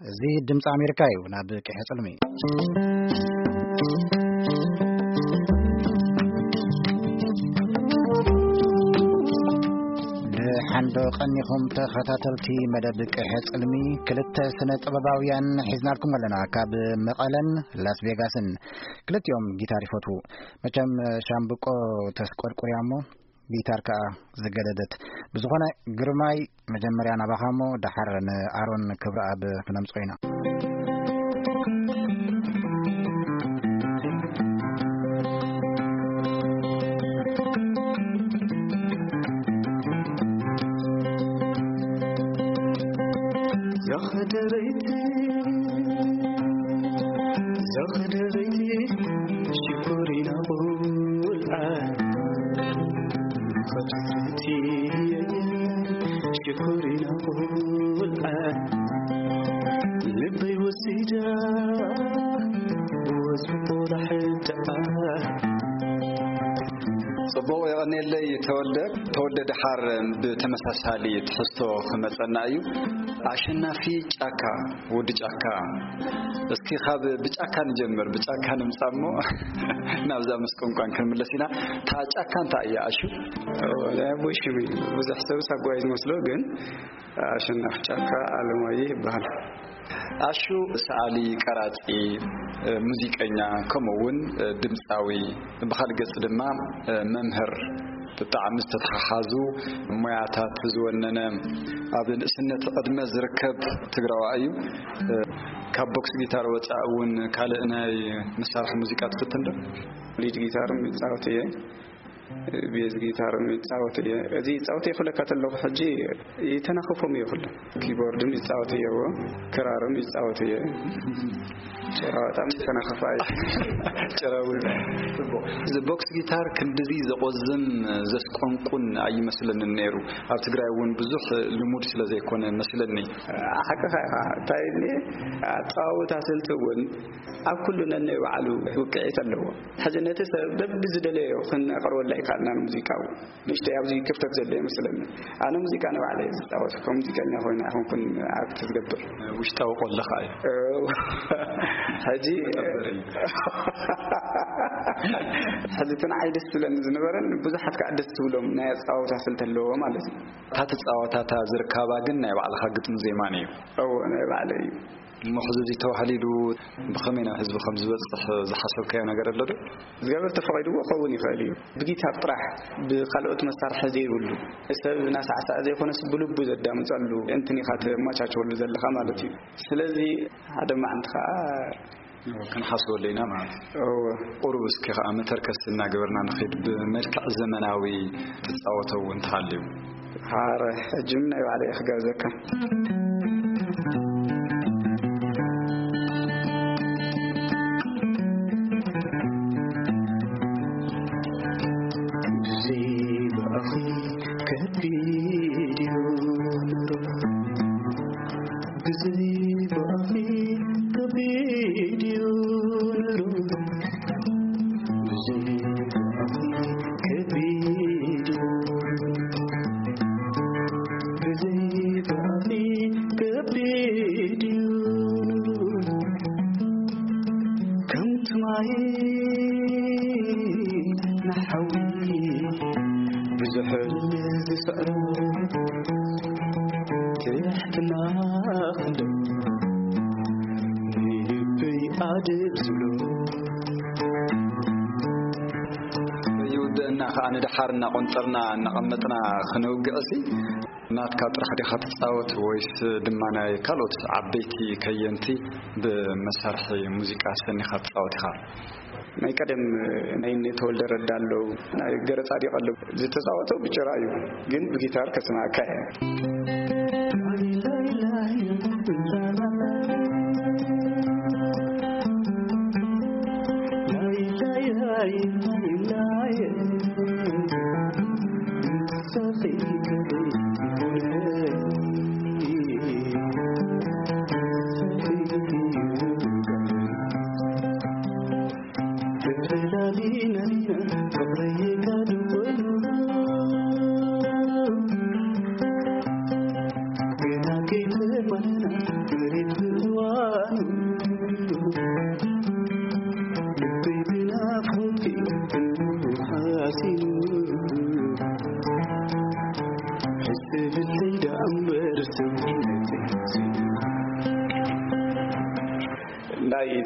እዚ ድምፂ ኣሜሪካ እዩ። ናብ ቅሐ ፅልሚ። ደሓን ዶ ቀኒኹም ተኸታተልቲ መደብ ቅሐ ጽልሚ? ክልተ ስነ ጥበባውያን ሒዝናልኩም ኣለና፣ ካብ መቐለን ላስ ቬጋስን። ክልቲኦም ጊታር ይፈትዉ። መቸም ሻምብቆ ተስቆርቁርያ እሞ ጊታር ከኣ ዝገደደት። ብዝኾነ ግርማይ፣ መጀመርያ ናባኻ እሞ ደሓር ንኣሮን ክብረኣብ ክነምጽኦ ኢና። ዘኽደረይቲ፣ ዘኽደረይቲ፣ ሽኮሪና ቁልዓ። ፈትፍቲ፣ ሽኮሪና ቁልዓ። ልበይ ወሲዳ፣ ወዝቦ ላሕዳኣ። ጽቡቕ፣ የቐኔለይ ተወልደ። ተወልደ፣ ደሓር ብተመሳሳሊ ትሕዝቶ ክመጸና እዩ። ኣሸናፊ ጫካ፣ ወዲ ጫካ። እስኪ ካብ ብጫካ ንጀምር፣ ብጫካ ንምጻእ እሞ ናብዛ ምስ ቋንቋን ክንምለስ ኢና። እታ ጫካ እንታይ እያ ኣሹ? ወላ ኣቦይ ሽሙ እዩ። ብዙሕ ሰብ ሳጓይ ዝመስሎ፣ ግን ኣሸናፊ ጫካ ኣለማየሁ ይበሃል። ኣሹ ሰኣሊ፣ ቀራጺ፣ ሙዚቀኛ፣ ከምኡ እውን ድምጻዊ፣ ብኻልእ ገጽ ድማ መምህር፣ ብጣዕሚ ዝተተሓሓዙ ሞያታት ዝወነነ፣ ኣብ ንእስነት ዕድመ ዝርከብ ትግራዋይ እዩ። ካብ ቦክስ ጊታር ወጻኢ እውን ካልእ ናይ መሳርሒ ሙዚቃ ትፍትን ዶ? ሊድ ጊታር ይጻወት እየ። ቤዝ ጊታር ይጻወት እየ። እዚ ይጻወት እየ ክብለካ ተለኹ፣ ሕጂ ይተናኽፎም እየ ኩሉ። ኪቦርድም ይጻወት እየዎ፣ ክራርም ይጻወት እየ። ጭራ በጣም ይተናኽፋ እየ። ጭራ እውን። ጽቡቕ። እዚ ቦክስ ጊታር ክንድዚ ዘቆዝም ዘስቆንቁን ኣይመስለንን ነይሩ። ኣብ ትግራይ እውን ብዙሕ ልሙድ ስለ ዘይኮነ መስለኒ። ሓቅኻ ኢኻ። እንታይ እኒ ኣጻዋውታ ስልቲ እውን ኣብ ኩሉ ነናይ ባዕሉ ውቅዒት ኣለዎ። ሕዚ ነቲ ሰብ በብዝደለዮ ክነቕርበላ ይከኣልና ንሙዚቃ እውን። ንእሽተይ ኣብዚ ክፍተት ዘሎ ይመስለኒ። ኣነ ሙዚቃ ንባዕለይ እየ ዝጻወት። ከም ሙዚቀኛ ኮይነ ኣይኮንኩን ኣክት ዝገብር። ውሽጣዊ ቆለኻ እዩ። እው። ሕጂ መጠበሪ እዩ። ሕዚ እቲ ንዓይ ደስ ዝብለኒ ዝነበረን ብዙሓት ከዓ ደስ ዝብሎም ናይ ኣጻዋውታ ስልቲ ኣለዎ ማለት እዩ። እታ ትጻወታ፣ እታ ዝርከባ ግን ናይ ባዕልኻ ግጥሚ ዜማን እዩ። እዎ፣ ናይ ባዕለይ እዩ። እሞ ሕዚ እዚ ተባህሊሉ ብኸመይ ናብ ህዝቢ ከም ዝበጽሕ ዝሓሰብካዮ ነገር ኣሎ ዶ? እግዚኣብሔር ተፈቒድዎ ክኸውን ይኽእል እዩ። ብጊታር ጥራሕ፣ ብኻልኦት መሳርሒ ዘይብሉ፣ ሰብ እናሳዕሰዐ ዘይኮነስ ብልቡ ዘዳምጸሉ እንትን ኢኻ ተመቻችወሉ ዘለኻ ማለት እዩ። ስለዚ ሓደ መዓልቲ ኸዓ እዎ፣ ክንሓስበሉ ኢና ማለት እዩ። እዎ። ቁሩብ እስኪ ኸዓ መተርከስ እናገበርና ንኸይድ፣ ብመልክዕ ዘመናዊ ትጻወቶ እውን እንተሃልዩ። ሓረ፣ ሕጂ እውን ናይ ባዕለይ እየ ክጋብዘካ። ብዘይ ብኣኺ ከቢድ እዩ ኑሮ። ብዘይ ብኣኺ ከቢድ እዩ ኑሮ። ብዘይ ብኣኺ ከቢድ እዩ። ብዘይ ብኣኺ ከቢድ እዩ ኑሮ። ከምቲ ማይ ንሓዊ ብዙሕ ዝስዕሮ ትሕትና ክንዶ ንልበይ ኣድብ ዝብሎ። ይውድእና ኸዓ ንደሓር እናቖንጠርና እናቐመጥና ክነውግዕሲ፣ ናትካ ጥራሕ ዲኻ ትጻወት ወይስ ድማ ናይ ካልኦት ዓበይቲ ከየንቲ ብመሳርሒ ሙዚቃ ሰኒኻ ትጻወት ኢኻ? ናይ ቀደም ናይ እነ ተወልደ ረዳ ኣለዉ፣ ናይ ገረ ጻዲቕ ኣለዉ። ዝተጻወተው ብጭራ እዩ፣ ግን ብጊታር ከስማዕካ እየ።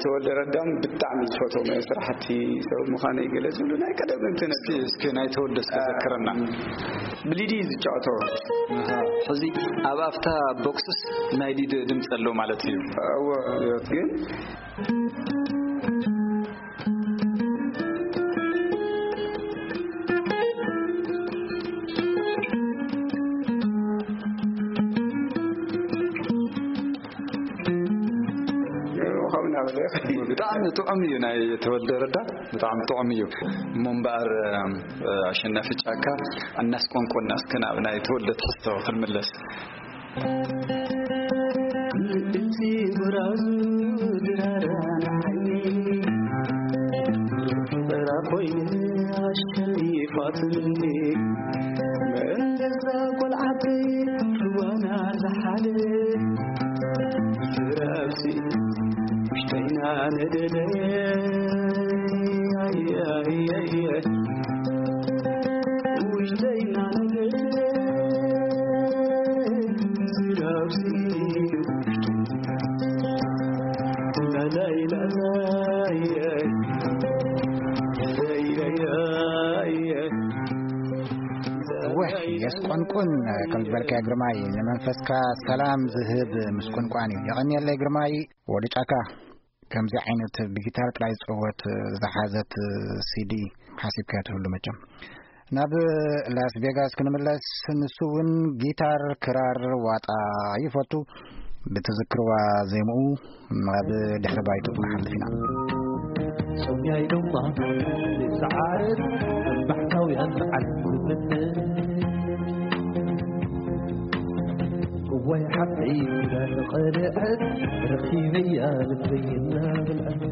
ተወልደ ረዳም ብጣዕሚ ዝፈትዎም ስራሕቲ ሰብ ምዃነይ ገለ ዝብሉ ናይ ቀደም እንትን እስኪ፣ እስኪ ናይ ተወልደ እስኪ ዘክረና። ብሊዲ ዝጫወቶ። ኣሃ፣ ሕዚ ኣብ ኣፍታ ቦክስስ ናይ ሊድ ድምፂ ኣሎ ማለት እዩ። እወ፣ ግን ብጣዕሚ ጥዑም እዩ ናይ ተወልደ ረዳ፣ ብጣዕሚ ጥዑም እዩ። እሞ እምበኣር፣ ኣሸናፊ ጫካ፣ እናስቆንቆና እስከ ናብ ናይ ተወልደ ትሕዝቶ ክንምለስ። እቲ ብራዙ ድራራ ንዓይኒ ፍራ ኮይኑ ኣሸኒፋትኒ። መንደዛ ቆልዓተይ ርዋና ዝሓለ ፍራብሲ ውሽጠይና ነደደ። ውሽጠይና ነደደ። እወ፣ የስቆንቁን ከም ዝበልካዮ ግርማይ፣ ንመንፈስካ ሰላም ዝህብ ምስቁንቋን እዩ። የቐንየለይ ግርማይ። ወዲ ጫካ ከምዚ ዓይነት ብጊታር ጥራይ ዝጽወት ዝሓዘት ሲዲ ሓሲብካዮ ትህሉ መቸም። ናብ ላስ ቬጋስ ክንምለስ፣ ንሱ እውን ጊታር፣ ክራር፣ ዋጣ ይፈቱ። ብትዝክርዋ ዜምኡ ናብ ድሕሪ ባይቱ ክንሓልፍ ኢና። ጾምያይ ድማ ይሰዓር እምባሕታውያን በዓል ዝብትን። እዋይ ሓፍተይ ኪዳን ቐልዐት ረኺበያ ልበይ እናበልዐት።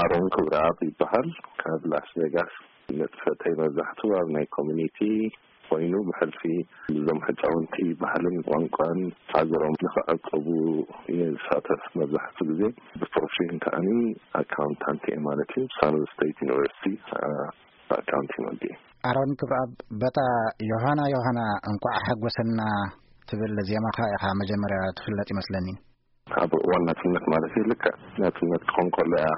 ኣሮን ክብረኣብ ይበሃል። ካብ ላስ ቬጋስ ንጥፈተይ መብዛሕትኡ ኣብ ናይ ኮሚኒቲ ኮይኑ፣ ብሕልፊ እዞም ሕፃውንቲ ባህልን ቋንቋን ሃገሮም ንኽዕቅቡ እየ ዝሳተፍ። መብዛሕትኡ ግዜ ብፕሮፌሽን ከኣኒ ኣካውንታንት እየ ማለት እዩ። ሳን ሆዜ ስቴት ዩኒቨርሲቲ ኣካውንቲንግ ወዲ። ኣሮን ክብረኣብ፣ በታ ዮሃና ዮሃና እንኳዕ ሓጎሰና ትብል ዜማኻ ኢኻ መጀመርያ ትፍለጥ ይመስለኒ። ኣብ እዋን ናጽነት ማለት እዩ። ልክዕ ናጽነት ክኾን ከሎ እያ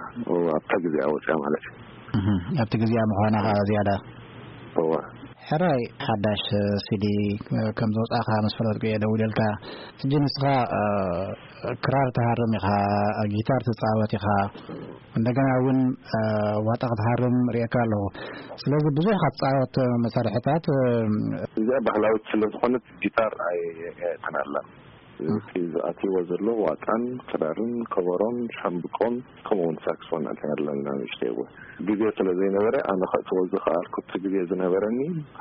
ኣብታ ግዜኣ ወጽያ ማለት እዩ። እህ፣ ኣብቲ ግዜኣ ምዃና ኸዓ ዝያዳ። እወ። ሕራይ ሓዳሽ ሲዲ ከም ዝወጻኻ ምስ ፈለጥኩ እየ ደዊለልካ። ሕጂ ንስኻ፣ እ፣ ክራር ትሃርም ኢኻ፣ ጊታር ትጻወት ኢኻ፣ እንደገና እውን፣ እ፣ ዋጣ ክትሃርም ርእየካ ኣለኹ። ስለዚ ብዙሕ ካብ ትጻወት መሳርሕታት፣ እ፣ እዚኣ ባህላዊት ስለ ዝኾነት ጊታር ኣይ-፣ ኣይእትን ኣላ። እቲ ዝኣትይዎ ዘሎ ዋጣን ክራርን ከበሮን ሻምብቆን ከምኡ እውን ሳክስፎን ኣተን ኣለና ንእሽተይ እውን። ግዜ ስለ ዘይነበረ ኣነ ከእትዎ ዝኸኣልኩ እቲ ግዜ ዝነበረኒ፣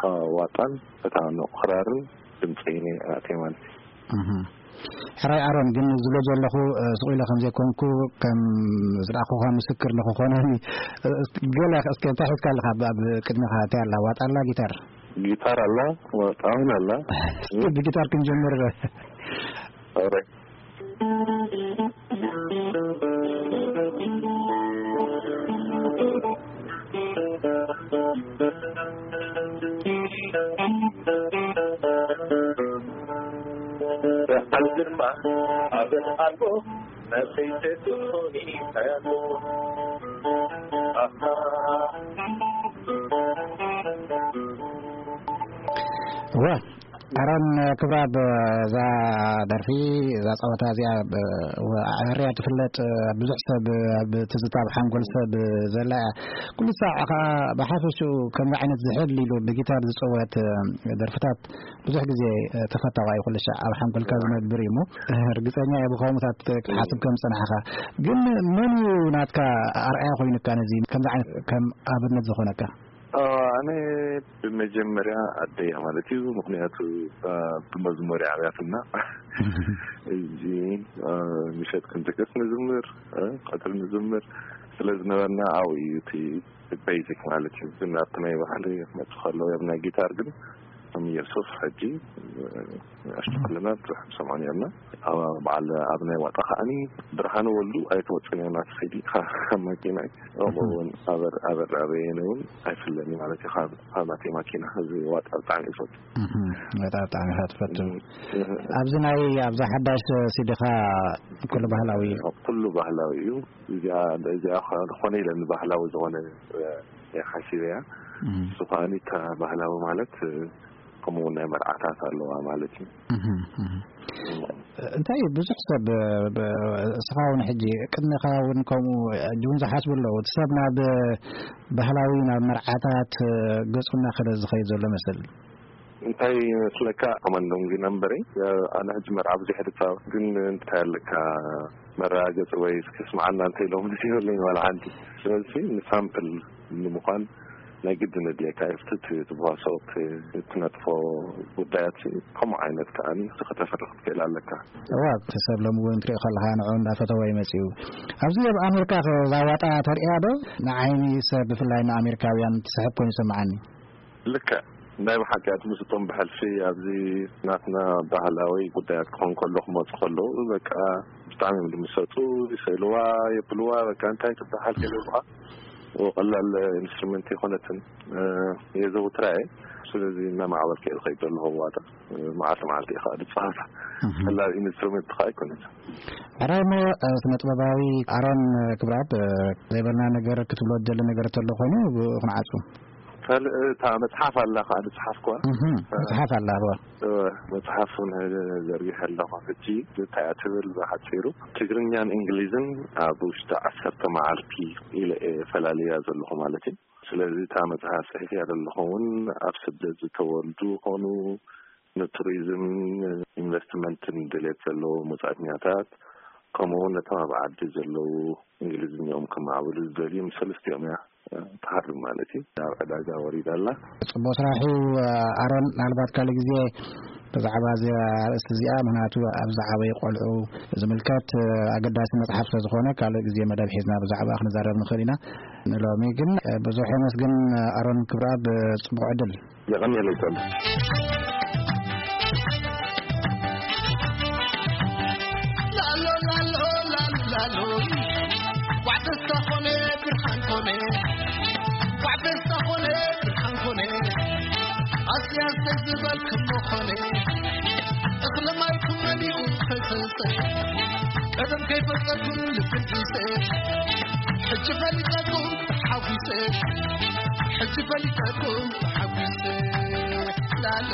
እ፣ ዋጣን እታ ንቑ ክራርን ድምፀይን እየ ኣእትየ ማለት እዩ። እህ። ሕራይ ኣሮን፣ ግን ዝብሎ ዘለኹ፣ እ፣ ስቕ ኢለ ከም ዘይኮንኩ፣ ከም ዝረኣኹኻ ምስክር ንኽኾነኒ፣ እ፣ ገለ እስከ እንታይ ሒዝካ ኣለኻ? ኣብ፣ ኣብ ቅድሚኻ እንታይ ኣላ? ዋጣ ኣላ? ጊታር? ጊታር ኣላ፣ ዋጣ እውን ኣላ። እስኪ ብጊታር ክንጀምር። ኦሬ። እወ፣ ኣሮን ክብረኣብ፣ እዛ ደርፊ፣ እዛ ጸወታ እዚኣ፣ ብ-፣ ወ-፣ ኣዕርያ ትፍለጥ፣ ብዙሕ ሰብ ኣብ ትዝታ፣ ኣብ ሓንጎል ሰብ ዘላ እያ። ኩሉ ሳዕ ከኣ ብሓፈሽኡ ከምዚ ዓይነት ዝሕል ኢሉ ብጊታር ዝጽወት ደርፍታት ብዙሕ ግዜ ተፈታዋይ፣ ኩሉ ሻዕ ኣብ ሓንጎልካ ዝነብር እዩ እሞ፣ ርግጸኛ እየ ብኸምኡታት ክትሓስብ ከም ዝጸናሕካ። ግን መን እዩ ናትካ ኣርኣያ ኮይኑካ ነዚ ከምዚ ዓይነት ከም ኣብነት ዝኾነካ? አ፣ ኣነ ብመጀመርያ ኣደያ ማለት እዩ። ምኽንያቱ፣ አ፣ ብመዝሙር እያ ዓብያትና። እዚ፣ አ፣ ምሸት ክንድቅስ ንዝምር፣ አ፣ ቀትሪ ንዝምር ስለ ዝነበርና ኣብኡ እዩ እቲ ቤዚክ ማለት እዩ። ግን ኣብቲ ናይ ባህሊ ክመጽእ ከሎ፣ ኣብ ናይ ጊታር ግን ከም ኢየሱስ ሕጂ ኣሽቱ ክልና ብዙሕ ሰምዖን ነርና። ኣብ በዓል ኣብ ናይ ዋጣ ከዓኒ ብርሃነ ወልዱ ኣይትወፅን እያ ናት ኸይዲ ካብ መኪና ከምኡ እውን ኣበር ኣበር ኣበየነ እውን ኣይፍለኒ ማለት እዩ። ካብ ናተይ ማኪና እዚ ዋጣ ብጣዕሚ ይፈቱ። በጣም ብጣዕሚ ኢኻ ትፈቱ። ኣብዚ ናይ ኣብዛ ሓዳሽ ሲዲኻ ኩሉ ባህላዊ እዩ። ኩሉ ባህላዊ እዩ። እዚኣ እዚኣ ዝኾነ ኢለ ንባህላዊ ዝኾነ ሓሲበያ። እሱ ከዓኒ እታ ባህላዊ ማለት ከምኡ ናይ መርዓታት ኣለዋ ማለት እዩ። እንታይ ብዙሕ ሰብ እስኻ እውን ሕጂ ቅድሚኻ እውን ከምኡ እውን ዝሓስቡ ኣለዉ። እቲ ሰብ ናብ ባህላዊ ናብ መርዓታት ገጹ እናኸደ ዝኸይድ ዘሎ መስል። እንታይ ይመስለካ? ኮማንዶም ግን እምበረይ ኣነ ሕጂ መርዓ ብዙሕ ድጻ ግን እንታይ ኣለካ መረጋገጺ ወይ እስኪ ስምዓና እንተ ኢሎም ምስ ይብለኝ ዋላ ሓንቲ። ስለዚ ንሳምፕል ንምዃን ናይ ግድን ኣድልየካ እዩ። እቲ ትብዋሶ ትነጥፎ ጉዳያት ከምኡ ዓይነት ከዓኒ ከተፍርኽ ትኽእል ኣለካ። እዋ እቲ ሰብ ሎሚ እውን ትሪኦ ከለኻ ንዑ እንዳፈተወ እዩ መፂኡ። ኣብዚ ኣብ ኣሜሪካ ዛዋጣ ተርእያ ዶ? ንዓይኒ ሰብ ብፍላይ ንኣሜሪካውያን ትስሕብ ኮይኑ ይሰምዓኒ። ልክዕ ናይ ብሓቂ ኣትምስጦም ብሕልፊ ኣብዚ ናትና ባህላዊ ጉዳያት ክኾን ከሎ ክመፁ ከለዉ በቃ ብጣዕሚ እዮም ዝምሰጡ። ይሰእልዋ የብልዋ በቃ እንታይ ትበሃል ከይብሉኻ ቀላል ኢንስትሩመንት የኾነትን። የዘውትራ እየ። ስለዚ እናማዕበልከ እየ ዝኸይድ ዘለኹ ዋጣ። መዓልቲ መዓልቲ እየ ከዓ ዝፃወታ። ቀላል ኢንስትሩመንት ከዓ ኣይኮነትን። ሕራይ እሞ ስነ ጥበባዊ ኣሮን ክብረኣብ ዘይበልና ነገር ክትብሎ ትደሊ ነገር ተሎ ኮይኑ ብኡ ክንዓፁ። ካልእ እታ መፅሓፍ ኣላ ከዓ ዝፅሓፍኩዋ። እህ፣ መፅሓፍ ኣላ እዋ። እወ፣ መፅሓፍ እውን ዘርጊሐ ኣለኹ። ሕጂ እንታይ እያ ትብል ብሓፂሩ ትግርኛን እንግሊዝን ኣብ ውሽጢ ዓሰርተ መዓልቲ ኢለ እየ ፈላልያ ዘለኹ ማለት እዩ። ስለዚ እታ መፅሓፍ ፅሒፍያ ዘለኹ እውን ኣብ ስደት ዝተወልዱ ይኾኑ፣ ንቱሪዝም ኢንቨስትመንትን ድሌት ዘለዎ ወፃእተኛታት፣ ከምኡ እውን ነቶም ኣብ ዓዲ ዘለዉ እንግሊዝኛኦም ከማዕብሉ ዝደልዩ ምስ ሰለስቲኦም እያ ትሃርም ማለት እዩ። ኣብ ዕዳጋ ወሪዳ ኣላ። ፅቡቅ ስራሕ እዩ ኣሮን። ምናልባት ካልእ ግዜ ብዛዕባ እዚ ኣርእስቲ እዚኣ፣ ምክንያቱ ኣብ ዝዓበዩ ቆልዑ ዝምልከት ኣገዳሲ መፅሓፍ ስለዝኾነ ካልእ ግዜ መደብ ሒዝና ብዛዕባ ክንዛረብ ንኽእል ኢና። ንሎሚ ግን ብዙሕ የመስግን ኣሮን ክብረኣብ፣ ፅቡቅ ዕድል። የቐንየለይ ጸሉ። ላሎ ላሎ ላሎ ላሎ ዋዕደስታ ኾነ ብርሃን ኾነ ዋዕደስታ ኾነ ብርሃን ኾነ ኣስያስተይ ዝበልክሞ ኾነ እኽሊ ማይኩም መሊኡ ፈሰሰ ቀደም ከይፈጸኩም ልፍንቲሰ ሕጂ ፈሊጠኩም ተሓጒሰ ሕጂ ፈሊጠኩም ተሓጒሰ ላለ